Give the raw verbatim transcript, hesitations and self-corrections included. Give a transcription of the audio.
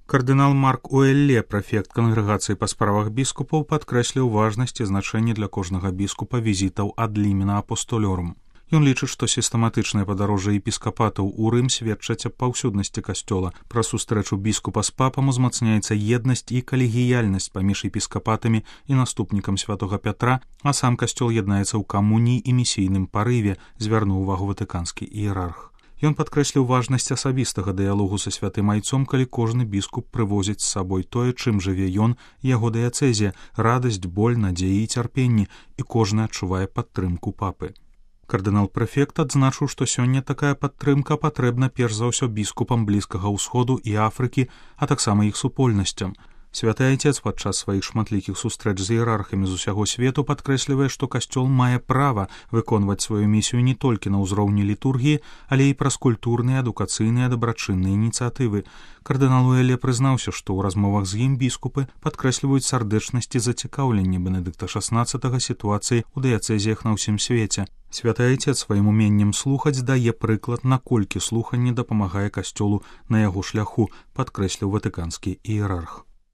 Кардынал Марк Уэлле, прэфект кангрэгацыі па справах біскупаў, падкрэсліў важнасць і значэнне для кожнага біскупа візітаў ад лімена апостолёрум. Ён лічыць, што сістэматычнае падарожжа епіскапатаў у Рым сведчаць аб паўсюднасці касцёла. Праз сустрэчу біскупа з папам узмацняецца еднасць і калегіяльнасць паміж епіскапатамі і наступнікам святога Пятра, а сам касцёл яднаецца ў камуніі і місійным парыве, звярнуў увагу ватыканскі іерарх. Ён падкрэсліў важнасць асабістага дыялогу са святым айцом, калі кожны біскуп прывозіць з сабой тое, чым жыве ён, яго дыяцэзія, радасць, боль, надзеі і цярпенні, і кожны адчувае падтрымку папы. Кардынал-прэфект адзначыў, што сёння такая падтрымка патрэбна перш за ўсё біскупам Блізкага ўсходу і Афрыкі, а таксама іх супольнасцям. Святы айцец падчас сваіх шматлікіх сустрэч з іерархамі з усяго свету падкрэслівае, што касцёл мае права выконваць сваю місію не толькі на ўзроўні літургіі, але і праз культурныя, адукацыйныя, дабрачынныя ініцыятывы. Кардынал Уэлле прызнаўся, што ў размовах з ім біскупы падкрэсліваюць сардэчнасць і зацікаўленне Бенедыкта шаснаццатага сітуацыі ў дыяцэзіях на ўсім свеце. Святы айцец сваім уменнем слухаць дае прыклад, наколькі слуханне дапамагае касцёлу на яго шляху, падкрэсліў ватыканскі іерарх.